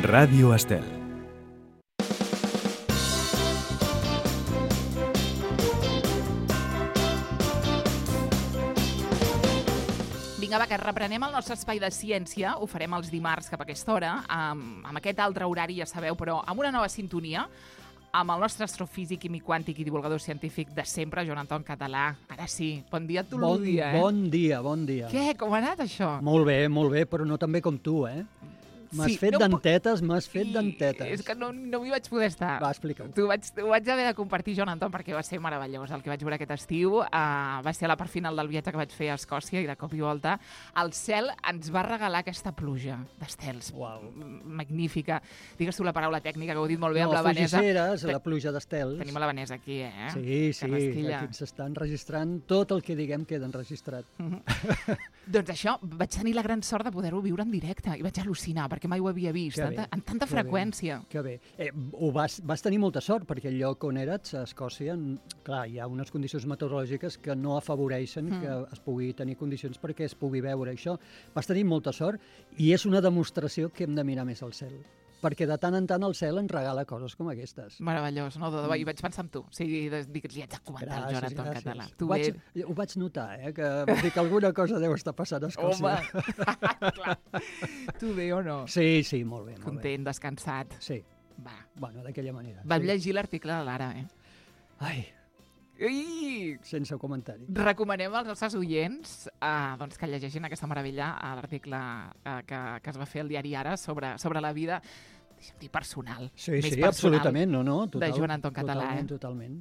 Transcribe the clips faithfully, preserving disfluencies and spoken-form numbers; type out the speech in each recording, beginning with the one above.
Ràdio Estel. Vinga, va, que reprenem el nostre espai de ciència. Ho farem els dimarts cap a aquesta hora, amb, amb aquest altre horari, ja sabeu, però amb una nova sintonia, amb el nostre astrofísic, químic quàntic i divulgador científic de sempre, Joan Anton Català. Ara sí, bon dia a tu, bon, dia, eh? Bon dia, bon dia. Què? Com ha anat, això? Molt bé, molt bé, però no tan bé com tu, eh? M'has Sí, fet no dentetes, m'has fet Sí, dentetes. És que no, no m'hi vaig poder estar. Va, explica-ho. T'ho vaig, ho vaig haver de compartir, Joan Anton, perquè va ser meravellós el que vaig veure aquest estiu. Uh, va ser a la part final del viatge que vaig fer a Escòcia i de cop i volta el cel ens va regalar aquesta pluja d'estels. Uau. Magnífica. Digues tu la paraula tècnica, que ho he dit molt bé No, amb la Vanessa. fugisseres, la pluja d'estels. Tenim a la Vanessa aquí, eh? Sí, sí, Carrasquilla. aquí s'està enregistrant tot el que diguem queda enregistrat. Doncs això, vaig tenir la gran sort de poder-ho viure en directe i vaig al·lucinar, perquè mai ho havia vist, Que tanta, bé, amb tanta que freqüència. Bé, que bé. Eh, ho vas, vas tenir molta sort, perquè el lloc on eres, a Escòcia, clar, hi ha unes condicions meteorològiques que no afavoreixen Mm. que es pugui tenir condicions perquè es pugui veure això. Vas tenir molta sort i és una demostració que hem de mirar més al cel, perquè de tant en tant el cel ens regala coses com aquestes. Meravellós, no? De debò, i vaig pensar en tu. O sigui, de, dic, li haig de comentar el Joan Anton gràcies. Català. Ho Tu vaig, bé... ho vaig notar, eh, que, vull dir que alguna cosa deu estar passant a Escòcia. Home, clar. Tu bé o no? Sí, sí, molt bé, molt bé. Content, descansat. Sí, Va. bueno, d'aquella manera. Vam sí. llegir l'article de l'Ara, eh? Ai, Ui! sense comentari. Recomanem als nostres oients eh, doncs que llegeixin aquesta meravella a l'article eh, que, que es va fer al diari Ara sobre, sobre la vida, deixa'm dir, personal. Sí, més sí, personal absolutament, no, no. Total, de Joan Anton Català. Totalment, Eh? totalment.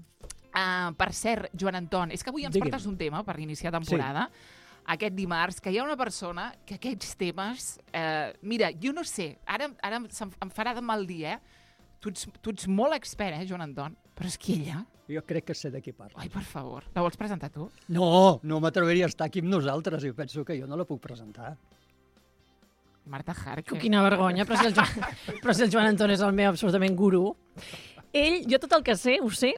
Uh, per cert, Joan Anton, és que avui ens Digue'm. portes un tema per iniciar temporada, sí. Aquest dimarts, que hi ha una persona que aquests temes... Eh, mira, jo no sé, ara, ara em, em farà de mal dir, eh? Tu ets, tu ets molt expert, eh, Joan Anton? Però és que ella... Jo crec que sé de qui parla. Ai, per favor, la vols presentar tu? No, no m'atreviria a estar aquí amb nosaltres i penso que jo no la puc presentar. Marta Harker. Quina vergonya, però si, el Joan, però si el Joan Anton és el meu absolutament gurú. Ell, jo tot el que sé, ho sé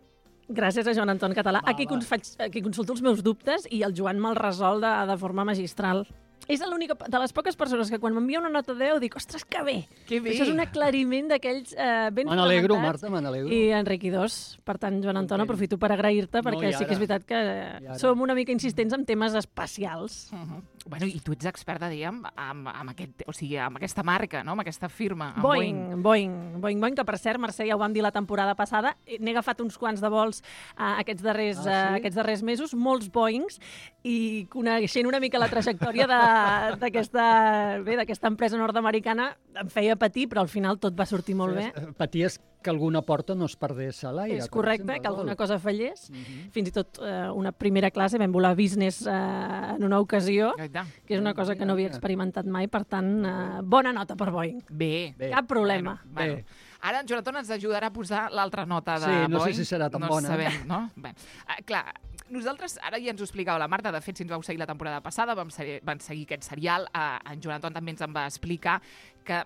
gràcies a Joan Anton Català, Va, a qui, va. cons, faig, a qui consulto els meus dubtes i el Joan me'l resol de, de forma magistral. És l'única de les poques persones que quan m'envia una nota de deu dic, ostres, que bé! Que bé! Això és un aclariment d'aquells eh, ben Me n'alegro, fonamentats. Marta, me n'alegro. I enriquidors. Per tant, Joan Anton, Content. aprofito per agrair-te, No, perquè i sí que és ara. veritat que I ara. som una mica insistents en temes espacials. Uh -huh. Bueno, i tu ets experta, diguem, amb, amb, aquest, o sigui, amb aquesta marca, no? Amb aquesta firma, amb Boeing, Boeing, Boeing, Boeing, que per cert, Mercè, ja ho vam dir la temporada passada, n'he agafat uns quants de vols uh, aquests, darrers, Ah, sí? uh, aquests darrers mesos, molts Boeings, i coneixent una mica la trajectòria de- d'aquesta bé, d'aquesta empresa nord-americana, em feia patir, però al final tot va sortir molt bé. Eh, Paties que alguna porta no es perdés a l'aire. És per correcte, exemple, que alguna no? cosa fallés. Mhm. Fins i tot eh, una primera classe, vam volar business eh, en una ocasió, Boeing. que és una cosa que no havia experimentat mai, per tant, eh, bona nota per Boeing. Bé. Bé. Cap problema. Bueno, Bé. ara en Joan Anton ens ajudarà a posar l'altra nota de Sí, no sé Boeing. si serà tan no bona. Sabem, no? Bé. Uh, clar, nosaltres, ara ja ens ho explicava la Marta, de fet, si ens vau seguir la temporada passada, vam, ser, vam seguir aquest serial, uh, en Joan Anton també ens en va explicar que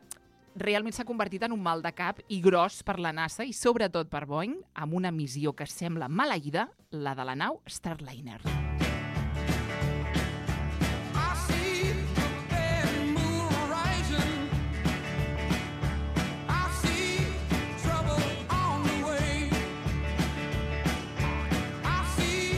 realment s'ha convertit en un mal de cap i gros per la NASA i sobretot per Boeing, amb una missió que sembla maleïda, la de la nau Starliner. I see the bad moon rising. I see trouble on the way. I see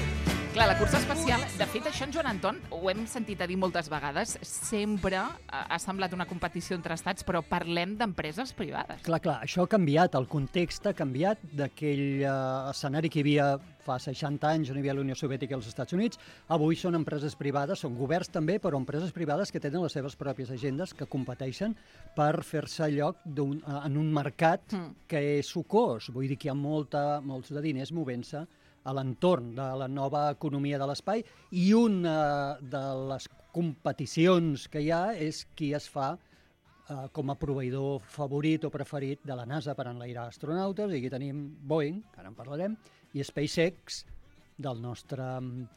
Clar, la cursa espacial, de fet, això en Joan Anton ho hem sentit a dir moltes vegades, sempre ha ha semblat una competició entre estats, però parlem d'empreses privades. Clar, clar, això ha canviat, el context ha canviat d'aquell eh, escenari que hi havia fa seixanta anys on hi havia la Unió Soviètica i els Estats Units. Avui són empreses privades, són governs també, però empreses privades que tenen les seves pròpies agendes, que competeixen per fer-se lloc d'un, eh, en un mercat Mm. que és sucós. Vull dir que hi ha molta, molts de diners movent-se a l'entorn de la nova economia de l'espai i una de les competicions que hi ha és qui es fa eh, com a proveïdor favorit o preferit de la NASA per enlairar astronautes, i aquí tenim Boeing, que ara en parlarem, i SpaceX, del nostre, mm,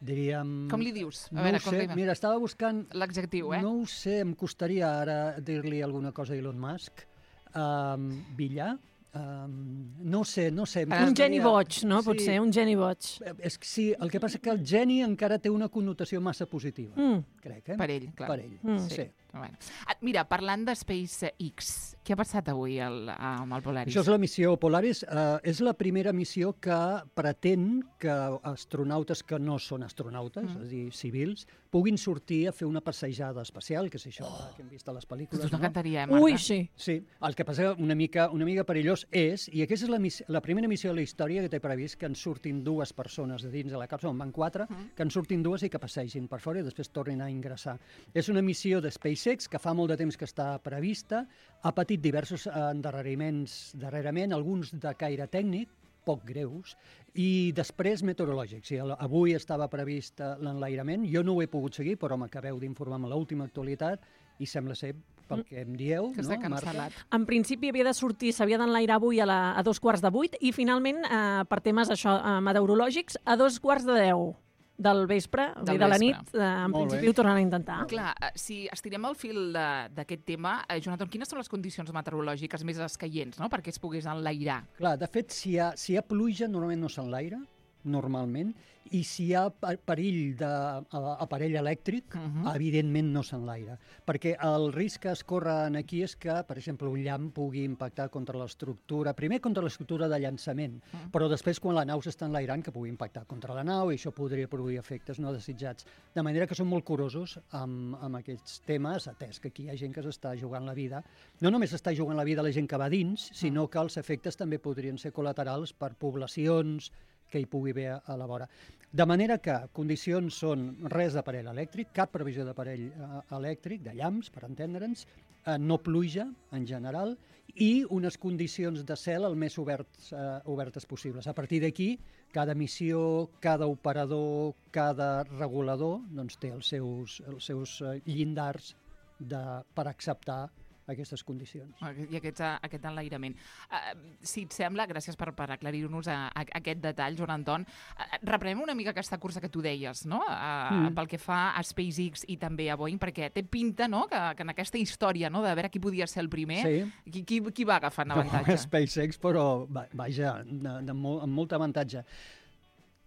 diríem... Com li dius? A No veure, ho com sé, li- mira, estava buscant... L'adjectiu, eh? No ho sé, em costaria ara dir-li alguna cosa a Elon Musk. Um, Villar, Um, no sé, no sé. em Un geni costaria- boig, no? Sí. Potser, un geni boig. És que sí, el que passa és que el geni encara té una connotació massa positiva, Mm. crec, eh? Per ell, clar. Per ell, Mm. sí. Bueno. Ah, mira, parlant de SpaceX, què ha passat avui el, amb el Polaris? Això és la missió Polaris. Uh, és la primera missió que pretén que astronautes que no són astronautes, mm. és a dir, civils, puguin sortir a fer una passejada espacial, que és això oh. que hem vist a les pel·lícules. Tu no? t'encantaria, eh, Marta? Ui, sí. Sí, el que passa una mica, una mica perillós és, i aquesta és la, missió, la primera missió de la història que té previst que en surtin dues persones de dins de la càpsula, en van quatre, mm. que en surtin dues i que passegin per fora i després tornin a ingressar. És una missió de SpaceX que fa molt de temps que està prevista, ha patit diversos endarreriments darrerament, alguns de caire tècnic, poc greus, i després meteorològics. Sí, avui estava previst l'enlairament, jo no ho he pogut seguir, però m'acabeu d'informar amb l'última actualitat i sembla ser, pel que em dieu, Que no, s'ha cancel·lat. Marta? En principi havia de sortir, s'havia d'enlairar avui a, la, a dos quarts de vuit i finalment, eh, per temes això, eh, meteorològics, a dos quarts de deu del vespre, Del de la vespre. nit, eh, en Molt principi bé. ho tornaran a intentar. Clar, eh, si estirem el fil de- d'aquest tema, eh, Jonathan, quines són les condicions meteorològiques més escaients, no?, perquè es pogués enlairar? Clar, de fet, si hi ha, si hi ha pluja, normalment no s'enlaira, normalment, i si hi ha per- perill d'aparell elèctric, uh Mhm. -huh. evidentment no s'enlaira. Perquè el risc que es corre aquí és que, per exemple, un llamp pugui impactar contra l'estructura, primer contra l'estructura de llançament, uh -huh. però després quan la nau s'està enlairant que pugui impactar contra la nau i això podria produir efectes no desitjats. De manera que són molt curosos amb, amb aquests temes, atès que aquí hi ha gent que s'està jugant la vida. No només s'està jugant la vida la gent que va dins, sinó que els efectes també podrien ser col·laterals per poblacions que hi pugui haver a la vora. De manera que condicions són res d'aparell elèctric, cap previsió d'aparell eh, elèctric, de llamps, per entendre'ns, eh, no pluja en general, i unes condicions de cel el més oberts, eh, obertes possibles. A partir d'aquí, cada missió, cada operador, cada regulador doncs, té els seus, els seus eh, llindars de, per acceptar aquestes condicions. I aquests, aquest enlairament. Uh, si et sembla, gràcies per, per aclarir-nos a, a, aquest detall, Joan Anton. Uh, reprenem una mica aquesta cursa que tu deies, no?, uh, mm. pel que fa a SpaceX i també a Boeing, perquè té pinta, no?, que, que en aquesta història, no?, de veure qui podia ser el primer, sí. qui, qui, qui va agafant avantatge? No, SpaceX, però, va, vaja, de, de molt, amb molt avantatge.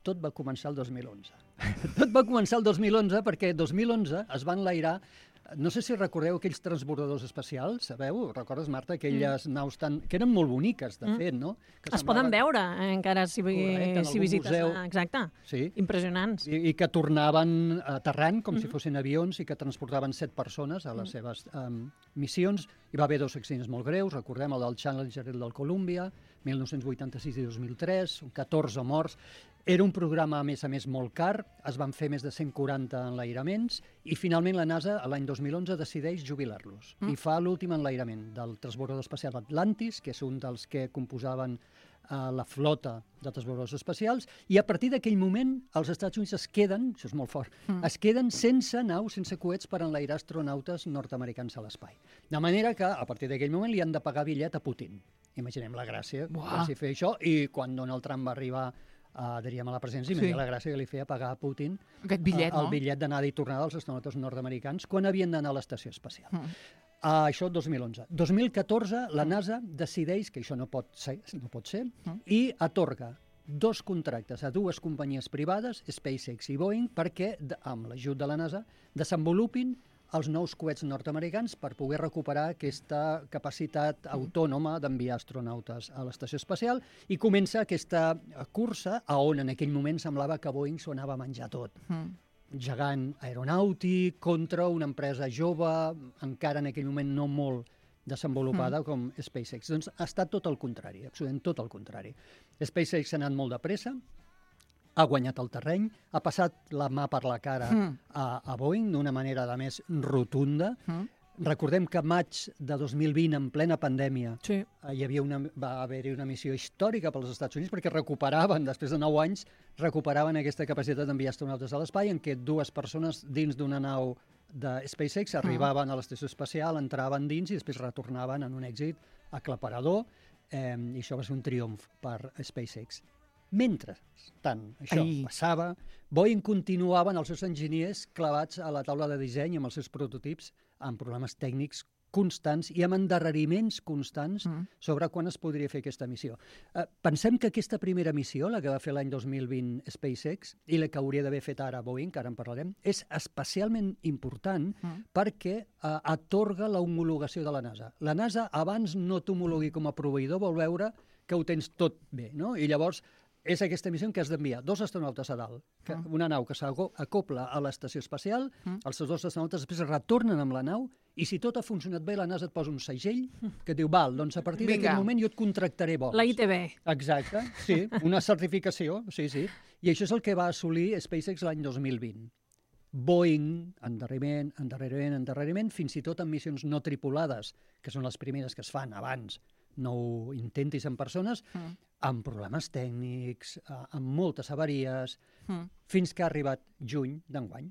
Tot va començar el dos mil onze. Tot va començar el dos mil onze perquè el dos mil onze es van enlairar. No sé si recordeu aquells transbordadors espacials, sabeu? Recordes, Marta, aquelles mm. naus tan... que eren molt boniques, de mm. fet, no? Que es poden veure, eh, encara, si, Correcte, si visites. museu. Ah, exacte. Sí. Impressionants. I, I que tornaven aterrant com mm. si fossin avions i que transportaven set persones a les mm. seves um, missions. Hi va haver dos accidents molt greus, recordem el del Challenger i el del Columbia, mil nou-cents vuitanta-sis i dos mil tres, catorze morts. Era un programa, a més a més, molt car, es van fer més de cent quaranta enlairaments i finalment la NASA, l'any dos mil onze, decideix jubilar-los mm. i fa l'últim enlairament del transbordador espacial Atlantis, que és un dels que composaven uh, la flota de transbordadors espacials, i a partir d'aquell moment els Estats Units es queden, això és molt fort, mm. es queden sense naus, sense coets per enlairar astronautes nord-americans a l'espai. De manera que, a partir d'aquell moment, li han de pagar bitllet a Putin. Imaginem la gràcia Buah. de fer això, i quan Donald Trump va arribar Uh, diríem a la presència, sí. la gràcia que li feia pagar a Putin aquest bitllet, uh, el no? bitllet d'anada i tornada dels astronautes nord-americans quan havien d'anar a l'estació espacial. Mm. Uh, això dos mil onze. dos mil catorze, la NASA decideix que això no pot ser, no pot ser mm. i atorga dos contractes a dues companyies privades, SpaceX i Boeing, perquè, amb l'ajut de la NASA, desenvolupin els nous coets nord-americans per poder recuperar aquesta capacitat autònoma d'enviar astronautes a l'estació espacial, i comença aquesta cursa a on en aquell moment semblava que Boeing s'ho anava a menjar tot. Mm. Gegant aeronàutic contra una empresa jove, encara en aquell moment no molt desenvolupada mm. com SpaceX. Doncs ha estat tot el contrari, absolutament tot el contrari. SpaceX ha anat molt de pressa, ha guanyat el terreny, ha passat la mà per la cara mm. a, a Boeing d'una manera, a més, rotunda. Mm. Recordem que maig de dos mil vint, en plena pandèmia, sí. hi havia una, va haver-hi una missió històrica pels Estats Units perquè recuperaven, després de nou anys, recuperaven aquesta capacitat d'enviar astronautes a l'espai, en què dues persones dins d'una nau de SpaceX arribaven mm. a l'estació espacial, entraven dins i després retornaven en un èxit aclaparador, eh, i això va ser un triomf per SpaceX. Mentre tant això Ai. passava, Boeing continuaven els seus enginyers clavats a la taula de disseny amb els seus prototips amb problemes tècnics constants i amb endarreriments constants mm. sobre quan es podria fer aquesta missió. Eh, pensem que aquesta primera missió, la que va fer l'any dos mil vint SpaceX, i la que hauria d'haver fet ara Boeing, que ara en parlarem, és especialment important mm. perquè eh, atorga l'homologació de la NASA. La NASA, abans no t'homologui com a proveïdor, vol veure que ho tens tot bé, no? I llavors és aquesta missió en què has d'enviar dos astronautes a dalt, que, mm. una nau que s'acopla a l'estació espacial, mm. els dos astronautes després retornen amb la nau, i si tot ha funcionat bé, la NASA et posa un segell que diu, val, doncs a partir d'aquest moment jo et contractaré vols. La I T B. Exacte, sí, una certificació, sí, sí. I això és el que va assolir SpaceX l'any dos mil vint. Boeing, endarreriment, endarreriment, endarreriment, fins i tot en missions no tripulades, que són les primeres que es fan abans, no ho intentis en persones, mm. amb problemes tècnics, amb moltes avaries, mm. fins que ha arribat juny d'enguany.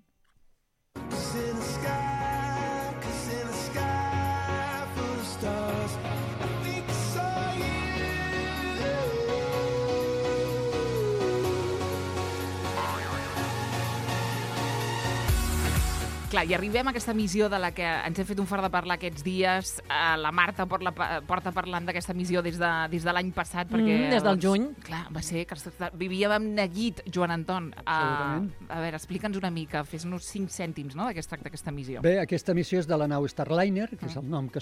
Clar, i arribem a aquesta missió de la que ens hem fet un fart de parlar aquests dies. Uh, la Marta porta, porta parlant d'aquesta missió des de, des de l'any passat. Perquè, mm, des del doncs, juny. Clar, va ser que vivíem amb neguit, Joan Anton. Uh, a veure, explica'ns una mica, fes-nos cinc cèntims, no?, de què es tracta aquesta missió. Bé, aquesta missió és de la nau Starliner, que mm. és el nom que,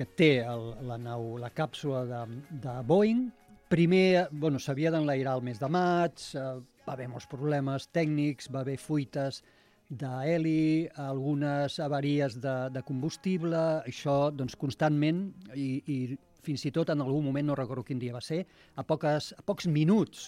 que té el, la nau, la càpsula de, de Boeing. Primer, bueno, s'havia d'enlairar el mes de maig, uh, va haver molts problemes tècnics, va haver fuites d'heli, algunes avaries de, de combustible, això doncs constantment, i, i fins i tot en algun moment, no recordo quin dia va ser, a, poques, a pocs minuts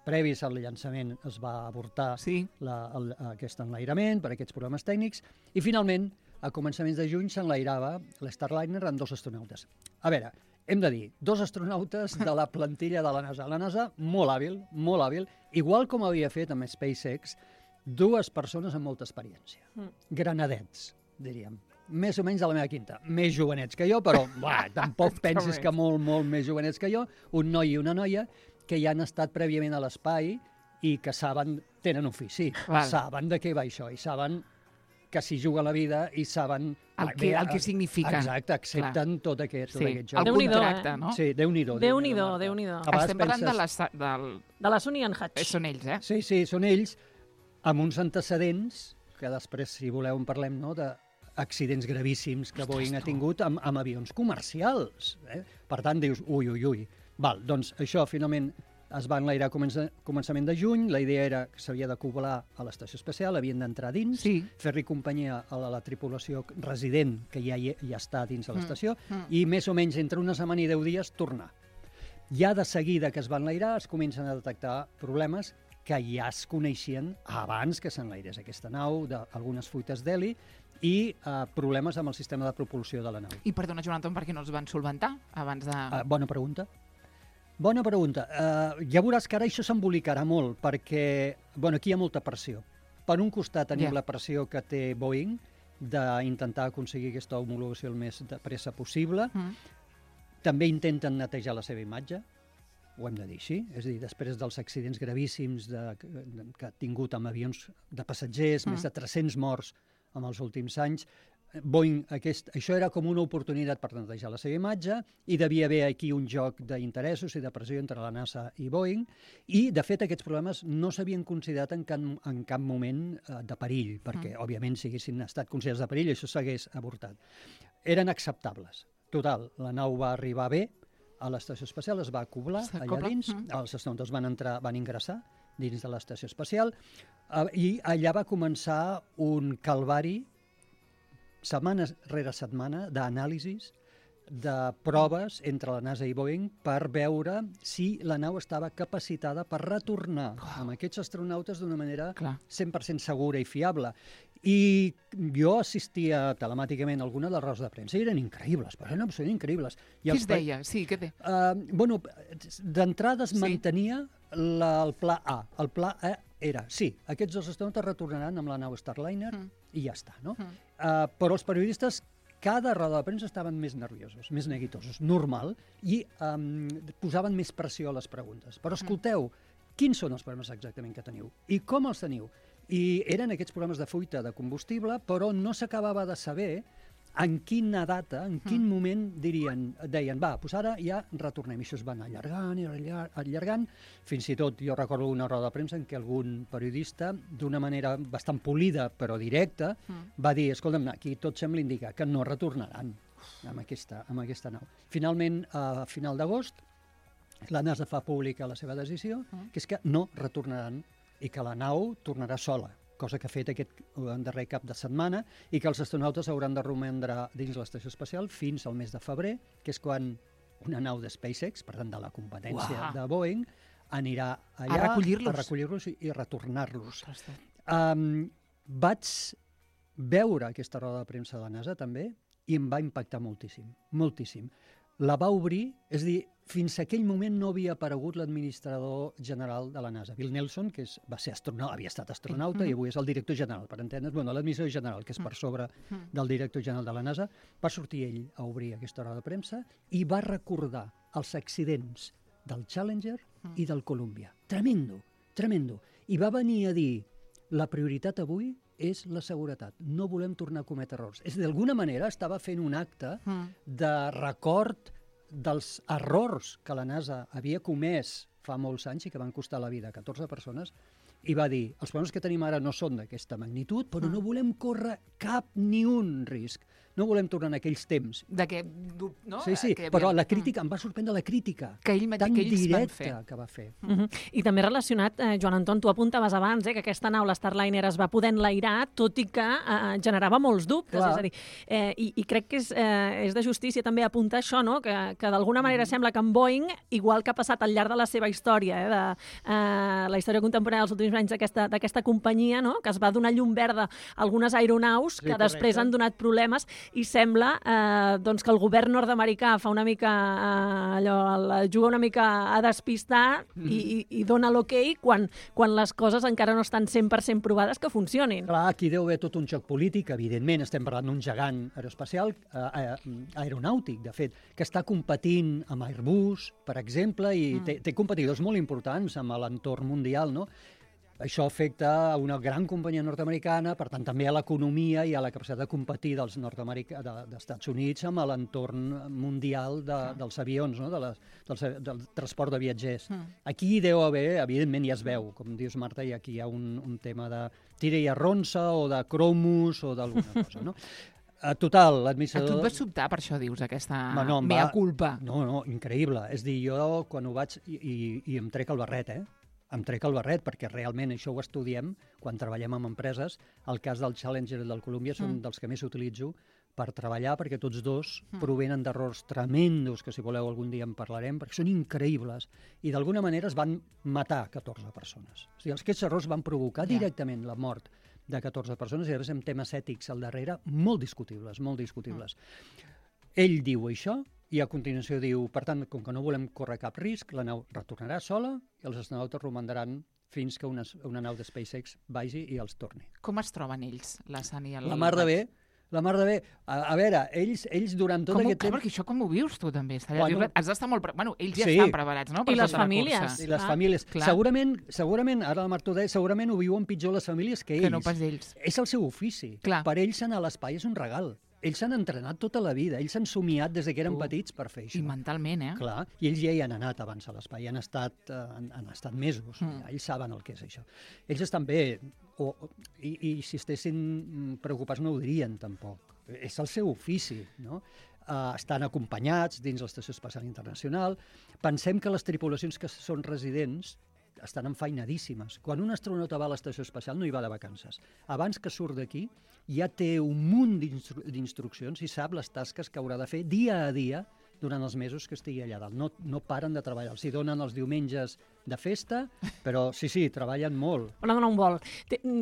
previs al llançament es va avortar sí. la, el, aquest enlairament per aquests problemes tècnics, i finalment, a començaments de juny, s'enlairava l'Starliner amb dos astronautes. A veure, hem de dir, dos astronautes de la plantilla de la NASA. La NASA, molt hàbil, molt hàbil, igual com havia fet amb SpaceX, dues persones amb molta experiència. Mm. Granadets, diríem. Més o menys de la meva quinta. Més jovenets que jo, però buah, tampoc pensis que molt, molt més jovenets que jo. Un noi i una noia que ja han estat prèviament a l'espai i que saben, tenen ofici, vale. Saben de què va això i saben que s'hi juga la vida i saben... El que, el que significa. Exacte, accepten Clar. tot aquest, tot sí. aquest joc. El contracte, no? Sí, Déu-n'hi-do. Déu-n'hi-do, Déu-n'hi-do. Estem parlant de, les, del... de la Sunny and Hutch. Eh, són ells, eh? Sí, sí, són ells, amb uns antecedents, que després, si voleu, en parlem, no?, d'accidents gravíssims que Boeing ha tingut amb, amb avions comercials. Eh? Per tant, dius, ui, ui, ui. Val, doncs això, finalment, es va enlairar a comença, començament de juny. La idea era que s'havia d'acoblar a l'estació espacial, havien d'entrar dins, sí. fer-li companyia a la, la tripulació resident, que ja, ja està dins de l'estació, mm, mm. i més o menys entre una setmana i deu dies tornar. Ja de seguida que es va enlairar, es comencen a detectar problemes que ja es coneixien abans que s'enlairés aquesta nau, d'algunes fuites d'heli i eh, problemes amb el sistema de propulsió de la nau. I perdona, Joan Anton, per què no els van solventar abans de... Uh, bona pregunta. Bona pregunta. Uh, ja veuràs que ara això s'embolicarà molt, perquè bueno, aquí hi ha molta pressió. Per un costat tenim yeah. la pressió que té Boeing d'intentar aconseguir aquesta homologació el més de pressa possible. Mm. També intenten netejar la seva imatge, ho hem de dir així, és a dir, després dels accidents gravíssims de, de, que ha tingut amb avions de passatgers, mm. més de tres-cents morts en els últims anys, Boeing, aquest, això era com una oportunitat per netejar la seva imatge i devia haver aquí un joc d'interessos i de pressió entre la NASA i Boeing i, de fet, aquests problemes no s'havien considerat en cap, en cap moment eh, de perill, perquè, mm. òbviament, si haguessin estat considerats de perill, això s'hagués avortat. Eren acceptables. Total, la nau va arribar bé, a l'estació espacial es va acoblar allà dins, mm. els astronautes van entrar, van ingressar dins de l'estació espacial eh, i allà va començar un calvari setmana rere setmana d'anàlisis de proves entre la NASA i Boeing per veure si la nau estava capacitada per retornar oh. amb aquests astronautes d'una manera Clar. cent per cent segura i fiable. I jo assistia telemàticament a alguna de les rodes de premsa i eren increïbles, però eren absolutament increïbles. I Què es deia? Sí, què té? Uh, bueno, d'entrada es sí. mantenia la, el pla A. El pla A era, sí, aquests dos astronautes retornaran amb la nau Starliner mm. i ja està, no? Mm. Uh, però els periodistes cada roda de premsa estaven més nerviosos, més neguitosos, normal, i um, posaven més pressió a les preguntes. Però escolteu, quins són els problemes exactament que teniu? I com els teniu? I eren aquests problemes de fuita de combustible, però no s'acabava de saber en quina data, en quin mm. moment dirien, deien, va, doncs ara ja retornem. I això es van allargant i allargant. Fins i tot, jo recordo una roda de premsa en què algun periodista, d'una manera bastant polida però directa, mm. va dir, escolta'm, aquí tot sembla indicar que no retornaran amb aquesta, amb aquesta nau. Finalment, a final d'agost, la NASA fa pública la seva decisió, mm. que és que no retornaran i que la nau tornarà sola, cosa que ha fet aquest darrer cap de setmana, i que els astronautes hauran de romandre dins l'estació espacial fins al mes de febrer, que és quan una nau de SpaceX, per tant de la competència Uah. de Boeing, anirà allà a recollir-los, a recollir-los i, i retornar-los. Um, vaig veure aquesta roda de premsa de la NASA també i em va impactar moltíssim, moltíssim. La va obrir, és a dir, fins a aquell moment no havia aparegut l'administrador general de la NASA, Bill Nelson, que és, va ser astronauta, havia estat astronauta mm-hmm. i avui és el director general, per entendre's, bueno, l'administrador general, que és per sobre mm-hmm. del director general de la NASA. Va sortir ell a obrir aquesta roda de premsa i va recordar els accidents del Challenger mm. i del Columbia. Tremendo, tremendo. I va venir a dir, la prioritat avui és la seguretat. No volem tornar a cometre errors. És d'alguna manera estava fent un acte mm. de record dels errors que la NASA havia comès fa molts anys i que van costar la vida a catorze persones, i va dir, els problemes que tenim ara no són d'aquesta magnitud, però mm. no volem córrer cap ni un risc. No volem tornar en aquells temps. De què, no? Sí, sí, que però havia... la crítica, em va sorprendre la crítica que ell, tan que ells directa que va fer. Mm -hmm. I també relacionat, eh, Joan Anton, tu apuntaves abans eh, que aquesta nau, l'Starliner, es va poder enlairar, tot i que eh, generava molts dubtes. Clar. És a dir, eh, i, i crec que és, eh, és de justícia també apuntar això, no? que, que d'alguna manera mm -hmm. sembla que en Boeing, igual que ha passat al llarg de la seva història, eh, de eh, la història contemporània dels últims anys d'aquesta companyia, no? que es va donar llum verda a algunes aeronaus sí, que correcte. després han donat problemes, i sembla Eh, doncs que el govern nord-americà fa una mica eh, allò, juga una mica a despistar mm. i, i dona l'ok quan, quan les coses encara no estan cent per cent provades que funcionin. Clar, aquí deu haver tot un joc polític, evidentment, estem parlant d'un gegant aeroespacial, eh, aeronàutic, de fet, que està competint amb Airbus, per exemple, i mm. té, té competidors molt importants amb l'entorn mundial, no? Això afecta a una gran companyia nord-americana, per tant, també a l'economia i a la capacitat de competir dels nord-americans, de, dels Estats Units amb l'entorn mundial de, ah. dels avions, no? de la, del, del transport de viatgers. Mm. Aquí deu haver, evidentment, ja es veu, com dius, Marta, i aquí hi ha un, un tema de tira i arronsa o de cromos o d'alguna cosa, no? A total, l'administrador... A tu et vas sobtar, per això dius, aquesta no, no, mea va... culpa. No, no, increïble. És dir, jo quan ho vaig... I, i, i em trec el barret, eh? Em trec el barret, perquè realment això ho estudiem quan treballem amb empreses. El cas del Challenger i del Columbia són mm. dels que més utilitzo per treballar, perquè tots dos mm. provenen d'errors tremendos, que si voleu algun dia en parlarem, perquè són increïbles. I d'alguna manera es van matar catorze persones. O sigui, aquests errors van provocar yeah. directament la mort de catorze persones, i a més amb temes ètics al darrere molt discutibles, molt discutibles. Mm. Ell diu això, i a continuació diu, per tant, com que no volem córrer cap risc, la nau retornarà sola i els astronautes romandran fins que una, una nau de SpaceX vagi i els torni. Com es troben ells, la Sani i el... La mar de bé, la mar de bé. A, a veure, ells, ells durant tot com aquest ho, temps... Perquè això com ho vius tu també? Bueno, bueno, has d'estar molt... Pre... Bueno, ells ja sí. estan preparats, no? Per I les tota la famílies. cursa. I les ah, famílies. clar. Segurament, segurament, ara la Marta ho deia, segurament ho viuen pitjor les famílies que ells. Que no pas ells. És el seu ofici. Clar. Per ells anar a l'espai és un regal. Ells s'han entrenat tota la vida, ells s'han somiat des que eren uh, petits per fer això. I mentalment, eh? Clar, i ells ja hi han anat abans a l'espai, han estat, uh, han, han estat mesos, mm. ja, ells saben el que és això. Ells estan bé, o, i, i si estessin preocupats no ho dirien tampoc. És el seu ofici, no? Uh, estan acompanyats dins l'Estació Espacial Internacional. Pensem que les tripulacions que són residents estan enfeinadíssimes. Quan un astronauta va a l'estació espacial no hi va de vacances. Abans que surt d'aquí ja té un munt d'instru d'instruccions i sap les tasques que haurà de fer dia a dia durant els mesos que estigui allà dalt. No, no paren de treballar. Els hi donen els diumenges de festa, però sí, sí, treballen molt. Van a donar un vol.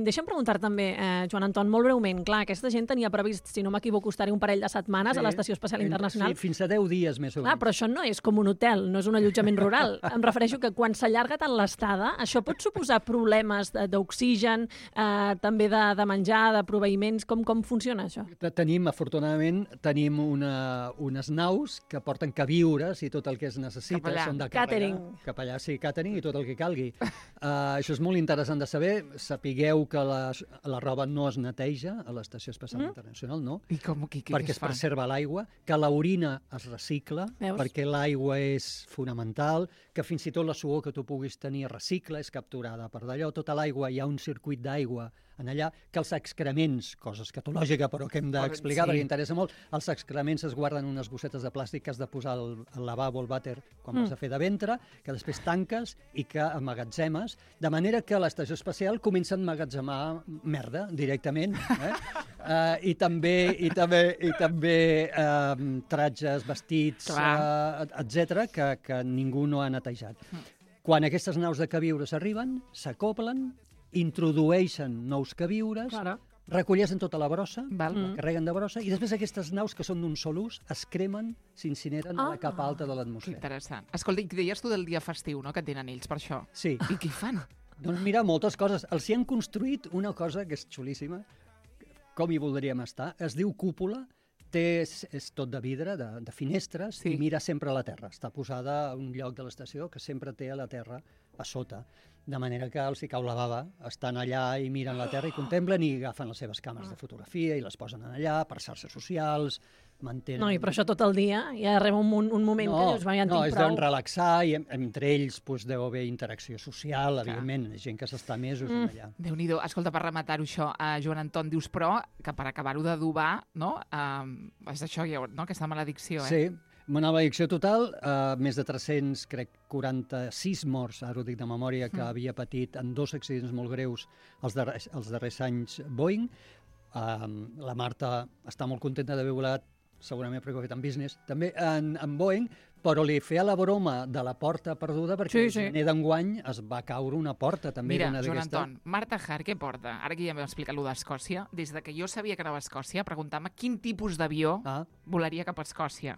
Deixa'm preguntar també, eh, Joan Anton, molt breument, clar, aquesta gent tenia previst, si no m'equivoco, estar-hi un parell de setmanes sí, a l'Estació Espacial Internacional. Sí, fins a deu dies més o menys. Ah, però això no és com un hotel, no és un allotjament rural. Em refereixo que quan s'allarga tant l'estada, això pot suposar problemes d'oxigen, eh, també de, de menjar, de proveïments, com, com funciona això? Tenim, afortunadament, tenim una, unes naus que porten queviures i tot el que es necessita. Cap allà. Són de càrrega. Catering. Cap allà, sí, catering i tot el que calgui. Uh, això és molt interessant de saber. Sapigueu que la, la roba no es neteja a l'Estació Espacial mm. Internacional, no? I com, qui, qui, perquè què es fan? preserva l'aigua, que l'orina es recicla, Veus? perquè l'aigua és fonamental, que fins i tot la suor que tu puguis tenir recicla, és capturada per d'allò. Tota l'aigua, hi ha un circuit d'aigua en allà, que els excrements, cosa escatològica però que hem d'explicar Sí. perquè interessa molt, els excrements es guarden en unes bossetes de plàstic que has de posar al, al lavabo, al vàter, quan Mm. vas a fer de ventre, que després tanques i que emmagatzemes, de manera que l'estació espacial comença a emmagatzemar merda directament, eh? uh, i també, i també, i també uh, tratges, vestits, uh, etcètera, que, que ningú no ha netejat. Mm. Quan aquestes naus de queviures arriben, s'acoplen, introdueixen nous queviures, Claro. recolleixen tota la brossa, Val. la carreguen de brossa, i després aquestes naus, que són d'un sol ús, es cremen, s'incineren a Ah. la capa alta de Que l'atmosfera. interessant. Escolta, i deies tu del dia festiu, no?, que tenen ells per això. Sí. I què hi fan? Doncs mira, moltes coses. Els hi han construït una cosa que és xulíssima, com hi voldríem estar. Es diu cúpula, té, és, és tot de vidre, de, de finestres, Sí. i mira sempre a la terra. Està posada a un lloc de l'estació que sempre té a la terra a sota. De manera que els hi cau la bava, estan allà i miren la terra i contemplen i agafen les seves càmeres de fotografia i les posen allà per xarxes socials, mantenen... No, i per això tot el dia hi arriba un, un, un moment que dius, va, ja en no, tinc es prou. deuen relaxar i en- entre ells doncs, deu haver interacció social, evidentment, gent que s'està mesos mm. allà. Déu-n'hi-do. Escolta, per rematar-ho això, uh, Joan Anton, dius, però, que per acabar-ho d'adobar, no?, uh, és això, ja, no?, aquesta maledicció, eh? Sí, una maledicció total, eh, més de tres-cents, crec, quaranta-sis morts, ara ho dic de memòria, que Mm. havia patit en dos accidents molt greus els darrers, els darrers anys Boeing. Eh, la Marta està molt contenta d'haver volat, segurament perquè ho ha fet en business, també en, en Boeing, però li feia la broma de la porta perduda perquè Sí, el sí. gener d'enguany es va caure una porta també. Mira, d'una Joan d'aquestes. Anton, Marta Hart, què porta? Ara que ja m'heu explicat allò d'Escòcia, des de que jo sabia que anava a Escòcia, preguntar-me quin tipus d'avió Ah, volaria cap a Escòcia.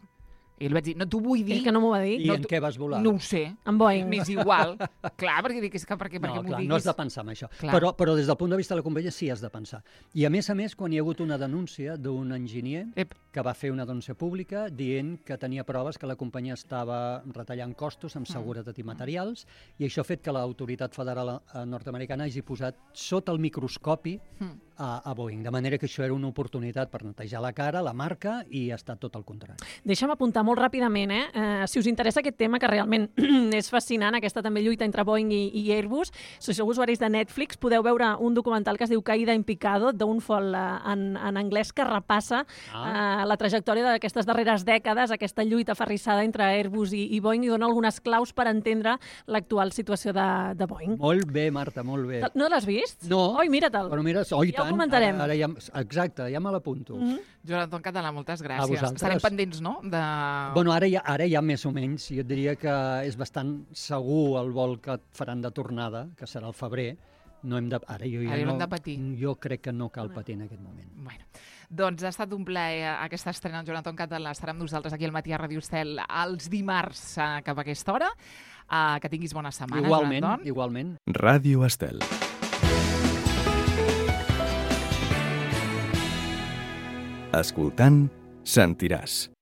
I li vaig dir, no t'ho vull dir, Ell que no m'ho va dir. I No, en tu- què vas volar? no ho sé, En Boeing. m'és igual. Clar, perquè dic, és que per què, per No, què m'ho clar, diguis? no has de pensar en això. Clar. Però, però des del punt de vista de la companyia sí has de pensar. I a més a més, quan hi ha hagut una denúncia d'un enginyer Ep. que va fer una denúncia pública dient que tenia proves que la companyia estava retallant costos Mm. amb seguretat i materials, i això ha fet que l'autoritat federal eh, nord-americana hagi posat sota el microscopi Mm. a, a Boeing, de manera que això era una oportunitat per netejar la cara, la marca, i ha estat tot el contrari. Deixa'm apuntar molt ràpidament, eh? Uh, si us interessa aquest tema, que realment és fascinant, aquesta també lluita entre Boeing i, i Airbus, si sou usuaris de Netflix, podeu veure un documental que es diu Caída en Picado, Downfall uh, en, en anglès, que repassa Ah. uh, la trajectòria d'aquestes darreres dècades, aquesta lluita ferrissada entre Airbus i, i Boeing, i dona algunes claus per entendre l'actual situació de, de Boeing. Molt bé, Marta, molt bé. No l'has vist? No. Oi, mira-te'l. Però mira, oh, i Ja ho tant, comentarem. Ara, ara ja, exacte, ja me l'apunto. Mm -hmm. Joan Anton Català, moltes gràcies. vosaltres. Estarem pendents, no?, de... Bueno, ara ja, ara ja més o menys, jo et diria que és bastant segur el vol que et faran de tornada, que serà al febrer. No hem de, ara jo ja Ara no no, hem de patir. Jo crec que no cal patir en aquest moment. Bueno, doncs ha estat un plaer aquesta estrena amb Joan Anton Català. Estarà amb nosaltres aquí al Matí a Ràdio Estel els dimarts eh, cap a aquesta hora. Uh, que tinguis bona setmana, Igualment, Joan Anton. igualment. Ràdio Estel. Escoltant, sentiràs.